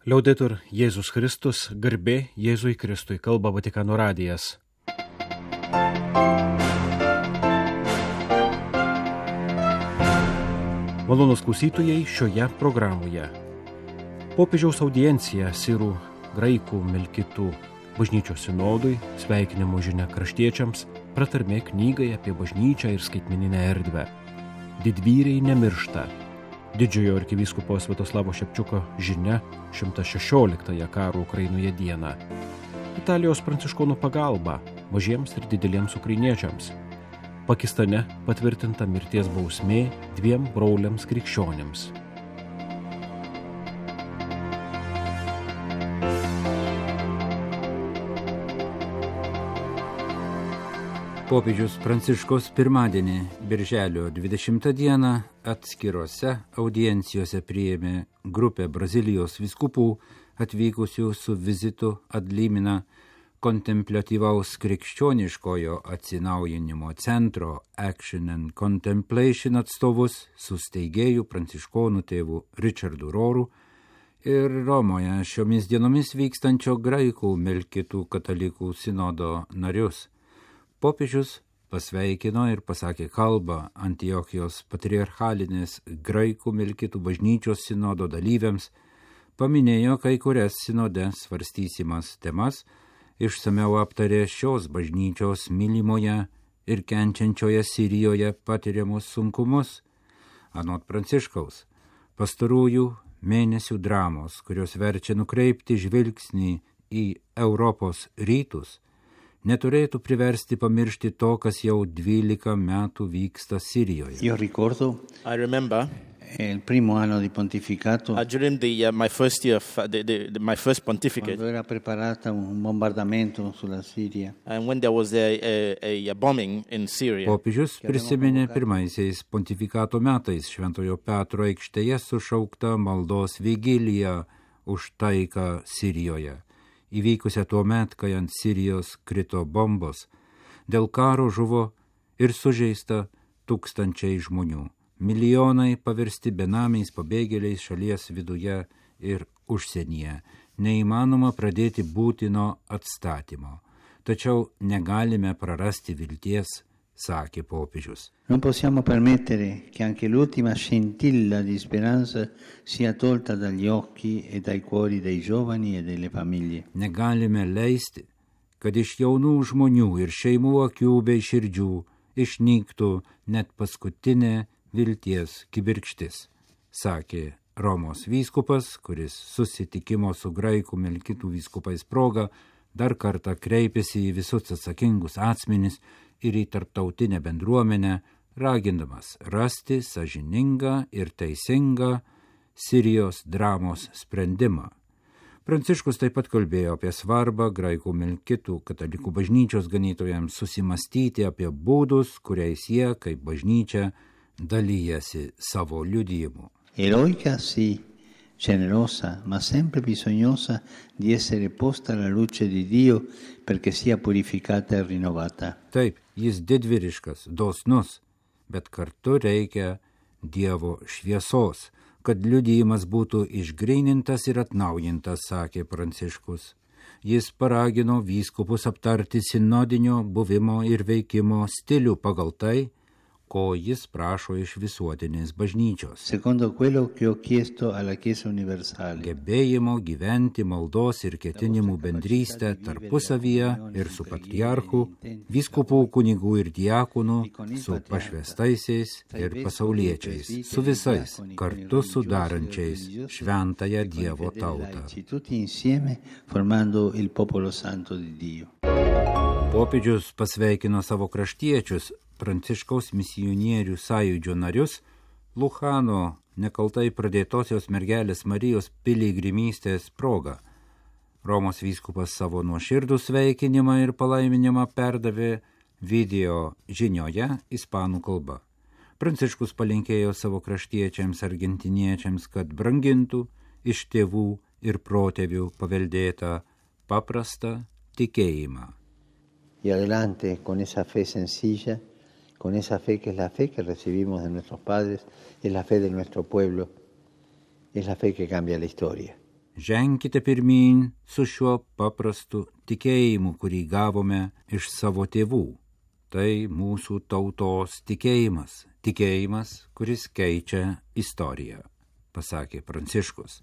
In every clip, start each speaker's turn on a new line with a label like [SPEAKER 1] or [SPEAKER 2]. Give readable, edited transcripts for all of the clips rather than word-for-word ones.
[SPEAKER 1] Liaudetur Jėzus Kristus, garbė Jėzui Kristui, kalba Vatikano radijas. Malonūs klausytojai šioje programoje. Popiežiaus audiencija sirų, graikų, melkitų bažnyčios sinodui, sveikinimo žinia kraštiečiams, pratarmė knygai apie bažnyčią ir skaitmeninę erdvę. Didvyriai nemiršta. Didžiojo arkivyskupo Sviatoslavo Šepčiuko žinia 116 karo Ukrainoje dieną. Italijos pranciškonų pagalba mažiems ir dideliems ukrainiečiams. Pakistane patvirtinta mirties bausmė 2 broliams krikščionims.
[SPEAKER 2] Popiežius Pranciškus pirmadienį, birželio 20 dieną, atskirose audiencijose priėmė grupę Brazilijos vyskupų atvykusių su vizitu ad limina kontempliatyvaus krikščioniškojo atsinaujinimo centro Action and Contemplation atstovus su steigėju pranciškonų tėvu Richardu Roru ir Romoje šiomis dienomis vykstančio graikų melkitų katalikų sinodo narius. Popiežius pasveikino ir pasakė kalbą Antiochijos patriarchalinės graikų melkitų bažnyčios sinodo dalyviams, paminėjo kai kurias sinode svarstysimas temas, išsamiau aptarė šios bažnyčios mylimoje ir kenčiančioje Sirijoje patiriamus sunkumus. Anot Pranciškaus, pastarųjų mėnesių dramos, kurios verčia nukreipti žvilgsnį į Europos rytus, neturėtų priversti pamiršti to, kas jau 12 metų vyksta Sirijoje.
[SPEAKER 3] I remember
[SPEAKER 4] il primo anno di pontificato,
[SPEAKER 3] during my first year, my first pontificate,
[SPEAKER 4] quando era preparata un bombardamento sulla Siria.
[SPEAKER 3] And when there was a bombing in Syria.
[SPEAKER 2] Popiežius prisiminė pirmaisiais pontifikato metais Šventojo Petro aikštėje sušaukta maldos vigilija už taiką Sirijoje, įvykusią tuo met, kai ant Sirijos krito bombos. Dėl karo žuvo ir sužeista tūkstančiai žmonių. Milijonai paversti benamiais pabėgėliais šalies viduje ir užsienyje. Neįmanoma pradėti būtino atstatymo. Tačiau negalime prarasti vilties, sakė popiežius.
[SPEAKER 4] Non possiamo permettere che anche l'ultima scintilla di speranza sia tolta dagli occhi e dai cuori dei giovani e delle famiglie.
[SPEAKER 2] Negalime leisti, kad iš jaunų žmonių ir šeimų akių bei širdžių išnyktų net paskutinė vilties kibirkštis, sakė Romos vyskupas, kuris susitikimo su graikų melkitų vyskupais proga dar kartą kreipėsi į visus atsakingus asmenis ir į tarptautinę bendruomenę, ragindamas rasti sąžiningą ir teisingą Sirijos dramos sprendimą. Pranciškus taip pat kalbėjo apie svarbą graikų melkitų katalikų bažnyčios ganytojams susimastyti apie būdus, kuriais jie, kaip bažnyčia, dalyjasi savo liudijimu.
[SPEAKER 4] Eroica sì, generosa, ma sempre bisognosa di essere posta alla luce di Dio perché sia purificata e rinnovata.
[SPEAKER 2] Taip, jis didvyriškas, dosnus, bet kartu reikia Dievo šviesos, kad liudijimas būtų išgrynintas ir atnaujintas, sakė Pranciškus. Jis paragino vyskupus aptarti sinodinio buvimo ir veikimo stilių pagal tai, ko jis prašo iš visuotinės bažnyčios.
[SPEAKER 4] Secondo quello che ho chiesto alla Chiesa universale.
[SPEAKER 2] Gebėjimo gyventi maldos ir ketinimų bendrystę tarpusavyje ir su patriarchu, vyskupų, kunigų ir diakonų, su pašvestaisiais ir pasauliečiais, su visais, kartu sudarančiais šventąją Dievo tautą.
[SPEAKER 4] Tutti insieme formando il popolo santo di Dio.
[SPEAKER 2] Popiežius pasveikino savo kraštiečius, Pranciškaus misionierių sąjūdžio narius, Luchano nekaltai pradėtosios mergelės Marijos piligrimystės proga. Romos vyskupas savo nuoširdų sveikinimą ir palaiminimą perdavė video žinioje ispanų kalba. Pranciškus palinkėjo savo kraštiečiams argentiniečiams, kad brangintų iš tėvų ir protėvių paveldėtą paprastą tikėjimą.
[SPEAKER 4] Y adelante con esa fe sencilla, con esa fe que es la fe que recibimos de nuestros padres, es la fe de nuestro pueblo, es la fe que cambia la historia.
[SPEAKER 2] ženkite pirmyn su šiuo paprastu tikėjimu, kurį gavome iš savo tėvų. Tai mūsų tautos tikėjimas, kuris keičia istoriją, pasakė Pranciškus.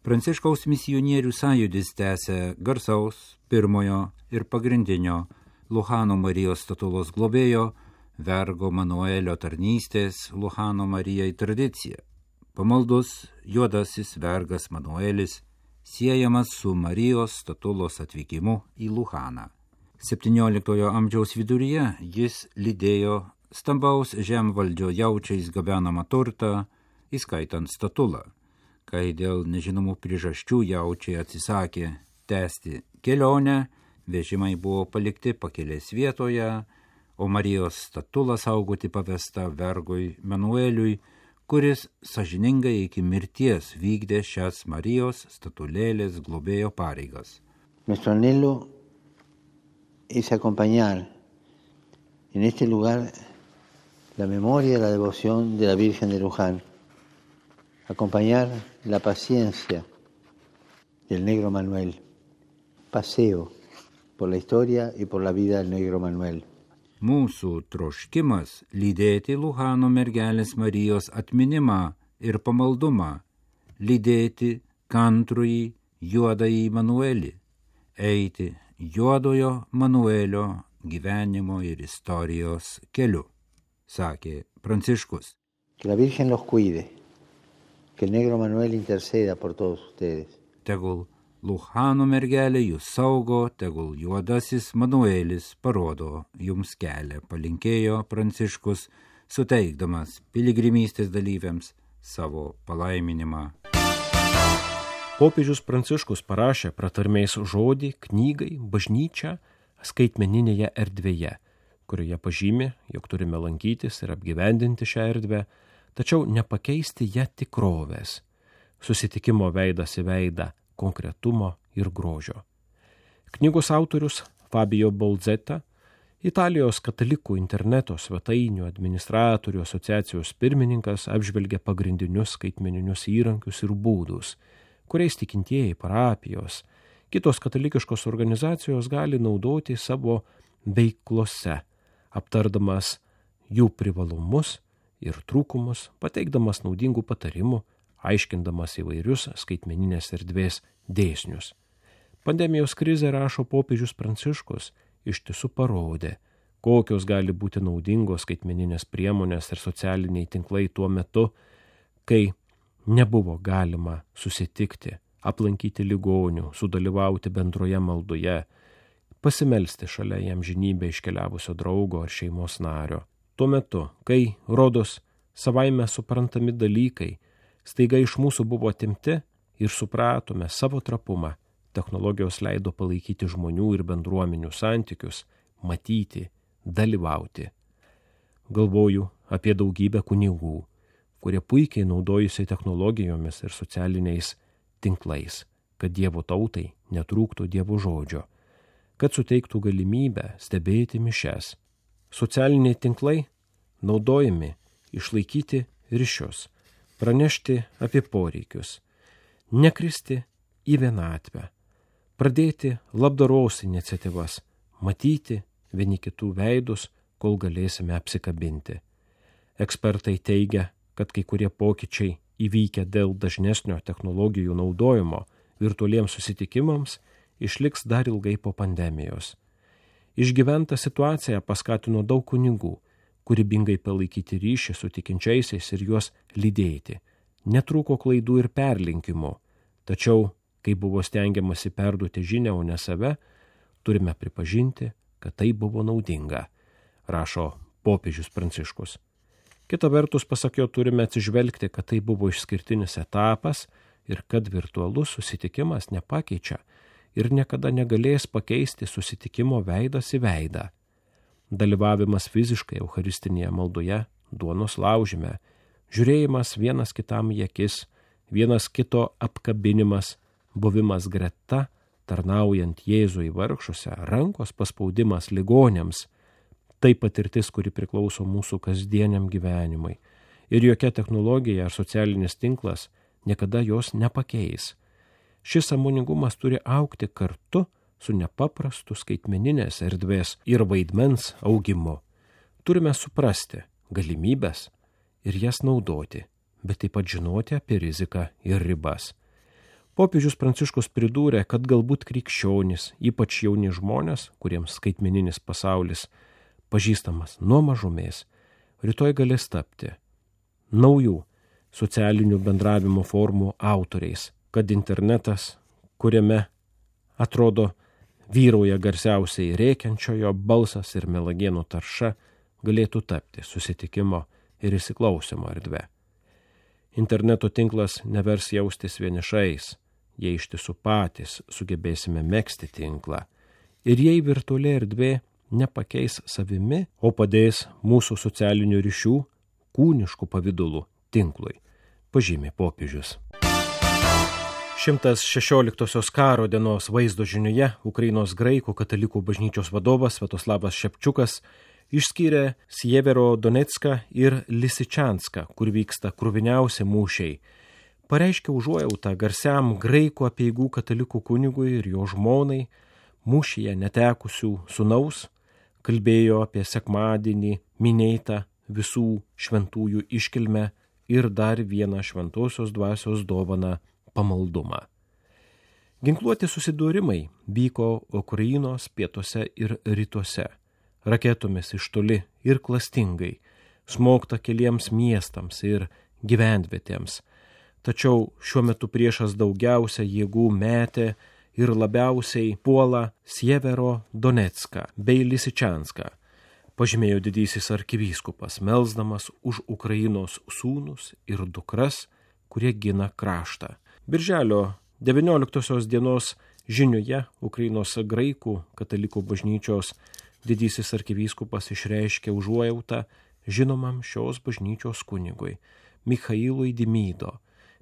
[SPEAKER 2] Pranciškaus misionierių sąjūdis tęsia garsaus pirmojo ir pagrindinio Luhano Marijos statulos globėjo vergo Manuelio tarnystės Luhano Marijai tradicija. Pamaldus juodasis vergas Manuelis siejamas su Marijos statulos atvykimu į Luhaną. 17 amžiaus viduryje jis lydėjo stambaus žemvaldžio jaučiais gabenamą turtą, įskaitant statulą. Kai dėl nežinomų priežasčių jaučiai atsisakė tęsti kelionę, vežimai buvo palikti pakelės vietoje, o Marijos statulą saugoti pavesta vergui Manueliui, kuris sąžiningai iki mirties vykdė šias Marijos statulėlės globėjo pareigas.
[SPEAKER 4] Nuestro anhelo es acompañar en este lugar la memoria y la devoción de la Virgen de Luján, acompañar la paciencia del negro Manuel, paseo por la historia y por la vida del negro Manuel.
[SPEAKER 2] Mūsų troškimas lydėti Luhano mergelės Marijos atminimą ir pamaldumą, lydėti kantrųjį juodąjį Manuelį, eiti juodojo Manuelio gyvenimo ir istorijos keliu, sakė Pranciškus.
[SPEAKER 4] Que la Virgen los cuide, que el negro Manuel interceda por todos ustedes.
[SPEAKER 2] Tegul Luhano mergelė jūs saugo, tegul juodasis Manuelis parodo jums kelią, palinkėjo Pranciškus, suteikdamas piligrimystės dalyviams savo palaiminimą.
[SPEAKER 1] Popiežius Pranciškus parašė pratarmės žodį knygai Bažnyčia skaitmeninėje erdvėje, kurioje pažymi, jog turime lankytis ir apgyvendinti šią erdvę, tačiau nepakeisti ją tikrovės, susitikimo veidas į veidą, konkretumo ir grožio. Knygos autorius Fabio Bolzeta, Italijos katalikų interneto svetainių administratorių asociacijos pirmininkas, apžvelgia pagrindinius skaitmeninius įrankius ir būdus, kuriais tikintieji parapijos, kitos katalikiškos organizacijos gali naudoti savo veiklose, aptardamas jų privalumus ir trūkumus, pateikdamas naudingų patarimų, aiškindamas įvairius skaitmeninės erdvės dėsnius. Pandemijos krizė, rašo popiežius Pranciškus, iš tiesų parodė, kokios gali būti naudingos skaitmeninės priemonės ir socialiniai tinklai tuo metu, kai nebuvo galima susitikti, aplankyti ligonių, sudalyvauti bendroje maldoje, pasimelsti šalia jam žinybę iškeliavusio draugo ar šeimos nario. Tuo metu, kai, rodos, savaime suprantami dalykai staiga iš mūsų buvo atimti ir supratome savo trapumą, technologijos leido palaikyti žmonių ir bendruomenių santykius, matyti, dalyvauti. Galvoju apie daugybę kunigų, kurie puikiai naudojasi technologijomis ir socialiniais tinklais, kad Dievo tautai netrūktų Dievo žodžio, kad suteiktų galimybę stebėti mišias. Socialiniai tinklai naudojami išlaikyti ryšius, pranešti apie poreikius, nekristi į vienatvę, pradėti labdaros iniciatyvas, matyti vieni kitų veidus, kol galėsime apsikabinti. Ekspertai teigia, kad kai kurie pokyčiai įvykę dėl dažnesnio technologijų naudojimo virtualiems susitikimams išliks dar ilgai po pandemijos. Išgyventa situacija paskatino daug kunigų, kūrybingai palaikyti ryšį su tikinčiaisiais ir juos lydėti. Netrūko klaidų ir perlinkimų, tačiau, kai buvo stengiamasi perduoti žinią, o ne save, turime pripažinti, kad tai buvo naudinga, rašo popiežius Pranciškus. Kita vertus, pasak jo, turime atsižvelgti, kad tai buvo išskirtinis etapas ir kad virtualus susitikimas nepakeičia ir niekada negalės pakeisti susitikimo veidas į veidą. Dalyvavimas fiziškai eucharistinėje maldoje, duonos laužime, žiūrėjimas vienas kitam į akis, vienas kito apkabinimas, buvimas greta, tarnaujant Jėzui vargšuose, rankos paspaudimas ligoniams, tai patirtis, kuri priklauso mūsų kasdieniam gyvenimui. Ir jokia technologija ar socialinis tinklas niekada jos nepakeis. Šis sąmoningumas turi augti kartu su nepaprastu skaitmeninės erdvės ir vaidmens augimu. Turime suprasti galimybės ir jas naudoti, bet taip pat žinoti apie riziką ir ribas. Popiežius Pranciškus pridūrė, kad galbūt krikščionys, ypač jauni žmonės, kuriems skaitmeninis pasaulis pažįstamas nuo mažumės, rytoj galės tapti naujų socialinių bendravimo formų autoriais, kad internetas, kuriame atrodo vyrauja garsiausiai rėkiančiojo balsas ir melagienų tarša, galėtų tapti susitikimo ir įsiklausimo erdve. Interneto tinklas nevers jaustis vienišais, jei iš tiesų patys sugebėsime megzti tinklą. Ir jei virtuali erdvė nepakeis savimi, o padės mūsų socialinių ryšių kūniškų pavidalų tinklui, pažymė popiežius. 116 karo dienos vaizdo žinioje Ukrainos graikų katalikų bažnyčios vadovas Sviatoslavas Šepčiukas išskyrė Sievero Donecką ir Lisičanską, kur vyksta kruviniausi mūšiai. Pareiškė užuojautą garsiam graikų apeigų katalikų kunigui ir jo žmonai, mūšyje netekusių sūnaus, kalbėjo apie sekmadienį minėtą visų šventųjų iškilmę ir dar vieną šventosios dvasios dovaną pamaldumą. Ginkluoti susidūrimai vyko Ukrainos pietuose ir rytuose. Raketomis iš toli ir klastingai, smogta keliems miestams ir gyvenvietėms. Tačiau šiuo metu priešas daugiausia jėgų metė ir labiausiai puola Sievero Donecką bei Lisičanską, pažymėjo didysis arkivyskupas, melsdamas už Ukrainos sūnus ir dukras, kurie gina kraštą. Birželio 19 dienos žinioje Ukrainos graikų katalikų bažnyčios didysis arkivyskupas išreiškė užuojautą žinomam šios bažnyčios kunigui Michailui Dimido,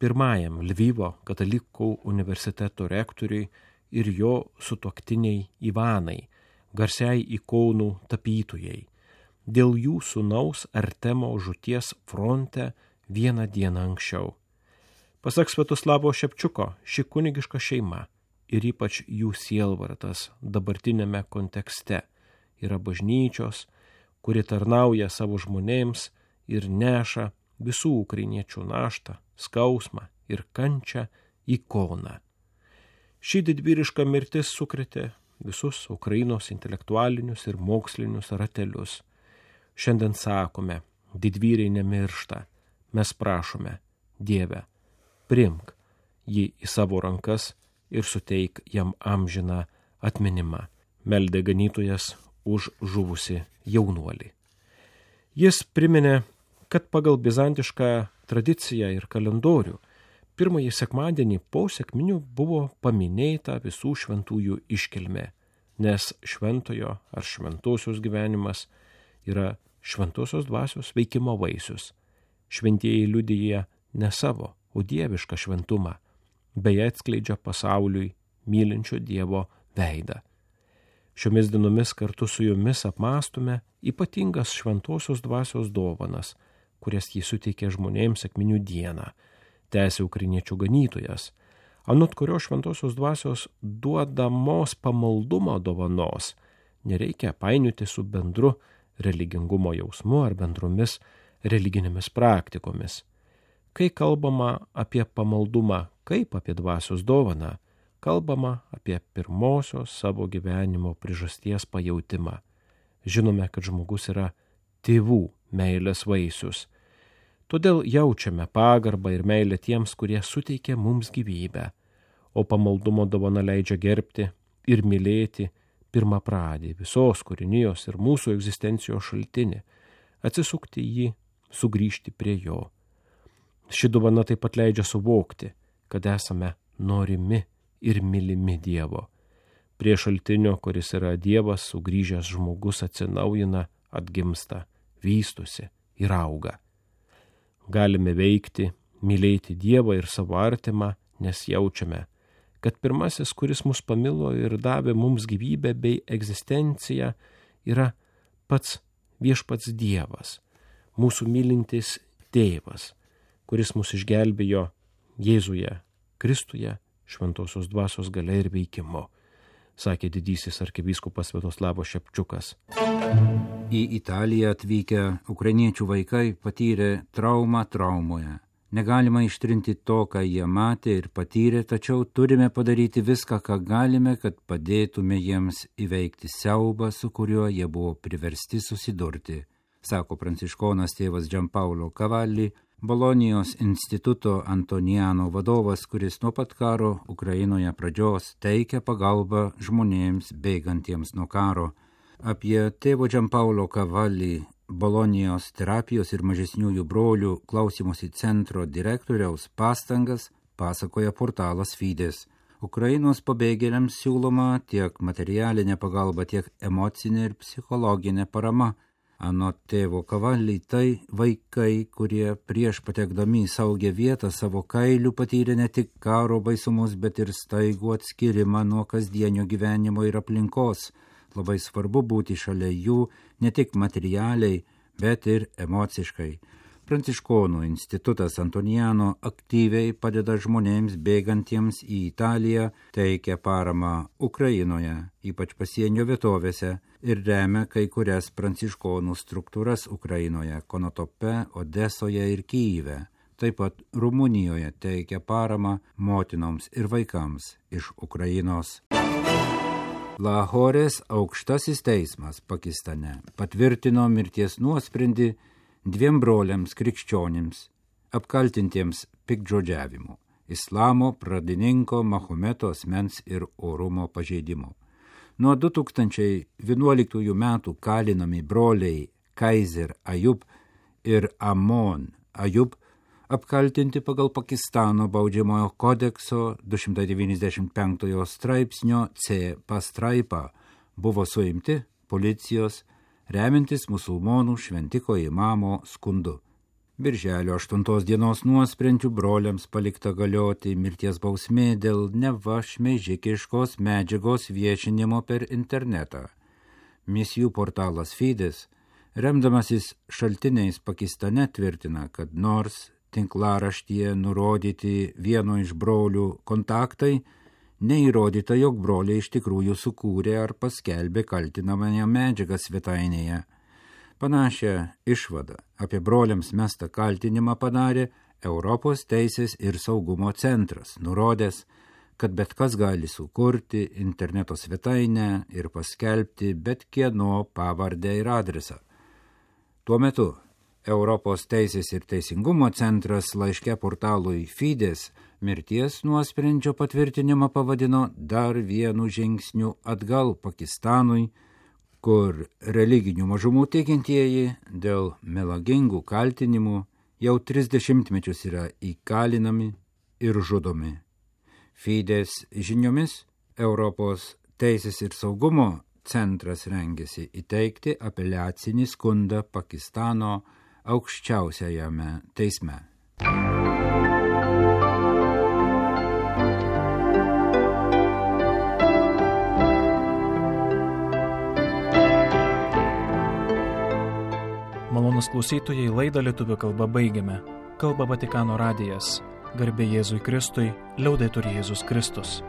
[SPEAKER 1] pirmajam Lvivo katalikų universiteto rektoriui ir jo sutuoktiniai Ivanai, garsiai ikonų tapytojai, dėl jų sūnaus Artemo žūties fronte vieną dieną anksčiau. Pasak Sviatoslavo Šepčiuko, ši kunigiška šeima ir ypač jų sielvartas dabartinėme kontekste yra bažnyčios, kuri tarnauja savo žmonėms ir neša visų ukrainiečių naštą, skausmą ir kančią ikoną. Ši didvyriška mirtis sukrėtė visus Ukrainos intelektualinius ir mokslinius ratelius. Šiandien sakome, didvyriai nemiršta, mes prašome, Dieve, priimk jį į savo rankas ir suteik jam amžiną atminimą, meldė ganytojas už žuvusi jaunuolį. Jis priminė, kad pagal bizantišką tradiciją ir kalendorių pirmąjį sekmadienį po sekminių buvo paminėta visų šventųjų iškilmė, nes šventojo ar šventosios gyvenimas yra šventosios dvasios veikimo vaisius. Šventieji liudija ne savo, o dievišką šventumą, bei atskleidžia pasauliui mylinčio Dievo veidą. Šiomis dienomis kartu su jumis apmąstume ypatingas šventosios dvasios dovanas, kurias jį suteikė žmonėms sekminių dieną, tęsė ukrainiečių ganytojas, anot kurio šventosios dvasios duodamos pamaldumo dovanos nereikia painioti su bendru religingumo jausmu ar bendromis religinėmis praktikomis. Kai kalbama apie pamaldumą kaip apie dvasios dovaną, kalbama apie pirmosios savo gyvenimo priežasties pajautimą. Žinome, kad žmogus yra tėvų meilės vaisius. Todėl jaučiame pagarbą ir meilę tiems, kurie suteikia mums gyvybę, o pamaldumo dovana leidžia gerbti ir mylėti pirmapradį visos kūrinijos ir mūsų egzistencijos šaltinį, atsisukti jį, sugrįžti prie jo. Ši dovana taip pat leidžia suvokti, kad esame norimi ir mylimi Dievo. Prie šaltinio, kuris yra Dievas, sugrįžęs žmogus atsinaujina, atgimsta, vystosi ir auga. Galime veikti, mylėti Dievą ir savo artimą, nes jaučiame, kad pirmasis, kuris mus pamilo ir davė mums gyvybę bei egzistenciją, yra pats viešpats Dievas, mūsų mylintis tėvas, kuris mus išgelbėjo Jėzuje, Kristuje, šventosios dvasios galia ir veikimu, sakė didysis arkivyskupas Sviatoslavas Šepčiukas.
[SPEAKER 2] Į Italiją atvykę ukrainiečių vaikai patyrė traumą traumoje. Negalima ištrinti to, ką jie matė ir patyrė, tačiau turime padaryti viską, ką galime, kad padėtume jiems įveikti siaubą, su kuriuo jie buvo priversti susidurti, sako pranciškonas tėvas Giampaolo Cavalli, Bolonijos instituto Antoniano vadovas, kuris nuo pat karo Ukrainoje pradžios teikia pagalbą žmonėms bėgantiems nuo karo. Apie tėvo Giampaolo Cavalli, Bolonijos terapijos ir mažesniųjų brolių klausymosi centro direktoriaus pastangas pasakoja portalas Fides. Ukrainos pabėgėliams siūloma tiek materialinė pagalba, tiek emocinė ir psichologinė parama. Anot tėvo Cavalli, tai vaikai, kurie prieš patekdami į saugią vietą savo kailių patyrė ne tik karo baisumus, bet ir staigų atskirimą nuo kasdienio gyvenimo ir aplinkos. Labai svarbu būti šalia jų ne tik materialiai, bet ir emociškai. Pranciškonų institutas Antoniano aktyviai padeda žmonėms bėgantiems į Italiją, teikia paramą Ukrainoje, ypač pasienio vietovėse, ir remia kai kurias pranciškonų struktūras Ukrainoje, Konotope, Odesoje ir Kyjive. Taip pat Rumunijoje teikia paramą motinoms ir vaikams iš Ukrainos. Lahorės aukštasis teismas Pakistane patvirtino mirties nuosprendį 2 broliams krikščionims, apkaltintiems piktžodžiavimu, islamo pradininko Mahometo asmens ir orumo pažeidimu. Nuo 2011 metų kalinami broliai Kaiser Ayub ir Amon Ayub apkaltinti pagal Pakistano baudžiamojo kodekso 295 straipsnio C pastraipą buvo suimti policijos remiantis musulmonų šventiko imamo skundu. Birželio 8 dienos nuosprendžiu broliams palikta galioti mirties bausmė dėl neva šmeižikiškos medžiagos viešinimo per internetą. Misijų portalas Fides, remdamasis šaltiniais Pakistane, tvirtina, kad nors tinklaraštyje nurodyti vieno iš brolių kontaktai, neįrodyta, jog broliai iš tikrųjų sukūrė ar paskelbė kaltinamąją medžiagą svetainėje. Panašią išvadą apie broliams mestą kaltinimą padarė Europos teisės ir saugumo centras, nurodęs, kad bet kas gali sukurti interneto svetainę ir paskelbti bet kieno pavardę ir adresą. Tuo metu Europos teisės ir teisingumo centras laiške portalui Fides mirties nuosprendžio patvirtinimą pavadino dar vienu žingsniu atgal Pakistanui, kur religinių mažumų tikintieji dėl melagingų kaltinimų jau 30 metus yra įkalinami ir žudomi. Fides žiniomis Europos teisės ir saugumo centras rengėsi įteikti apeliacinį skundą Pakistano aukščiausiajame teisme.
[SPEAKER 5] Malonūs klausytojai, laidą lietuvių kalba baigiame. Kalba Vatikano radijas. Garbė Jėzui Kristui, liaudetur Jėzus Kristus.